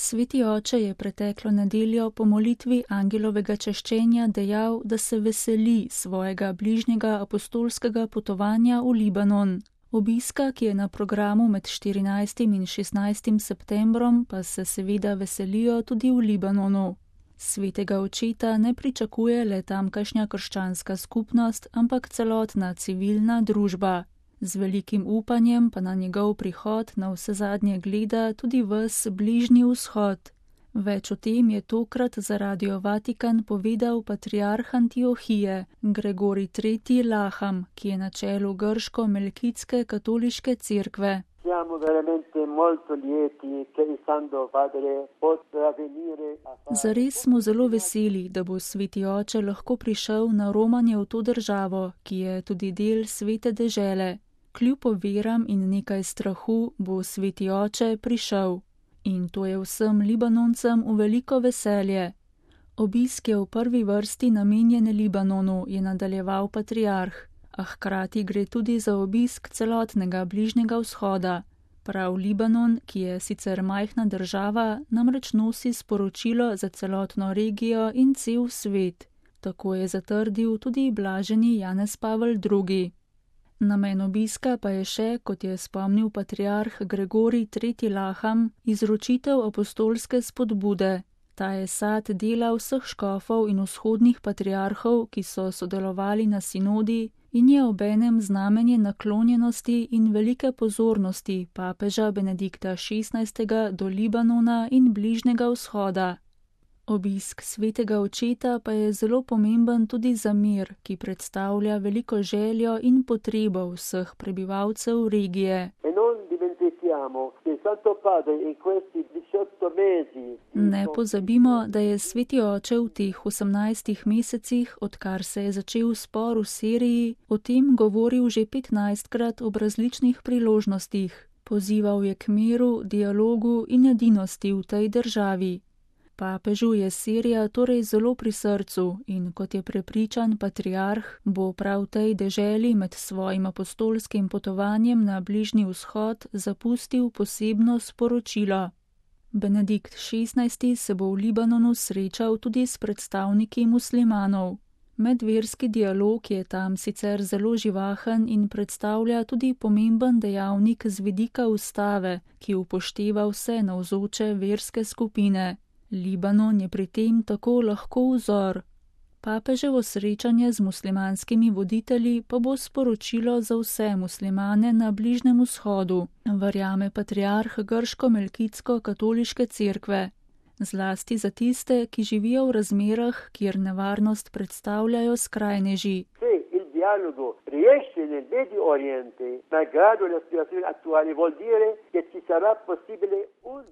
Sveti oče je preteklo nedeljo po molitvi angelovega češčenja dejal, da se veseli svojega bližnjega apostolskega potovanja v Libanon. Obiska, ki je na programu med 14. in 16. septembrom, pa se seveda veselijo tudi v Libanonu. Svetega očeta ne pričakuje le tamkajšnja krščanska skupnost, ampak celotna civilna družba. Z velikim upanjem pa na njegov prihod na vsezadnje gleda tudi ves Bližnji vzhod. Več o tem je tokrat za Radio Vatikan povedal patriarh Antiohije, Gregorij III. Laham, ki je na čelu grško-melkitske katoliške cerkve. Zares smo zelo veseli, da bo sveti oče lahko prišel na romanje v to državo, ki je tudi del svete dežele. Kljub oviram in nekaj strahu bo sveti oče prišel. In to je vsem Libanoncem v veliko veselje. Obisk je v prvi vrsti namenjen Libanonu, je nadaljeval patriarh, a hkrati gre tudi za obisk celotnega Bližnjega vzhoda. Prav Libanon, ki je sicer majhna država, namreč nosi sporočilo za celotno regijo in cel svet. Tako je zatrdil tudi blaženi Janez Pavel II. Namen obiska pa je še, kot je spomnil patriarh Gregorij III. Laham, izročitev apostolske spodbude. Ta je sad dela vseh škofov in vzhodnih patriarhov, ki so sodelovali na sinodi, in je obenem znamenje naklonjenosti in velike pozornosti papeža Benedikta XVI. Do Libanona in Bližnjega vzhoda. Obisk svetega očeta pa je zelo pomemben tudi za mir, ki predstavlja veliko željo in potrebo vseh prebivalcev regije. Ne pozabimo, da je sveti oče v teh 18 mesecih, odkar se je začel spor v Siriji, o tem govoril že 15krat ob različnih priložnostih. Pozival je k miru, dialogu in edinosti v tej državi. Papežu je Sirija torej zelo pri srcu in, kot je prepričan patriarh, bo prav tej deželi med svojim apostolskim potovanjem na Bližnji vzhod zapustil posebno sporočilo. Benedikt XVI. Se bo v Libanonu srečal tudi s predstavniki muslimanov. Medverski dialog je tam sicer zelo živahen in predstavlja tudi pomemben dejavnik z vidika ustave, ki upošteva vse navzoče verske skupine. Libanon je pri tem tako lahko vzor. Papeževo srečanje z muslimanskimi voditelji pa bo sporočilo za vse muslimane na Bližnjem vzhodu, verjame patriarh grško-melkitsko-katoliške cerkve. Zlasti za tiste, ki živijo v razmerah, kjer nevarnost predstavljajo skrajneži.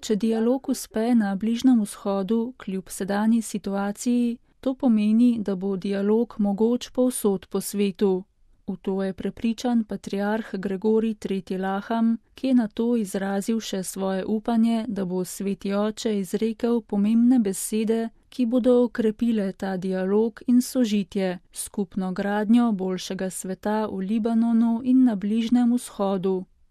Če dialog uspe na Bližnjem vzhodu, kljub sedanji situaciji, to pomeni, da bo dialog mogoč povsod po svetu. V to je prepričan patriarh Gregorij III. Laham, ki je na to izrazil še svoje upanje, da bo sveti oče izrekel pomembne besede, ki bodo okrepile ta dialog in sožitje, skupno gradnjo boljšega sveta v Libanonu in na Bližnjem vzhodu.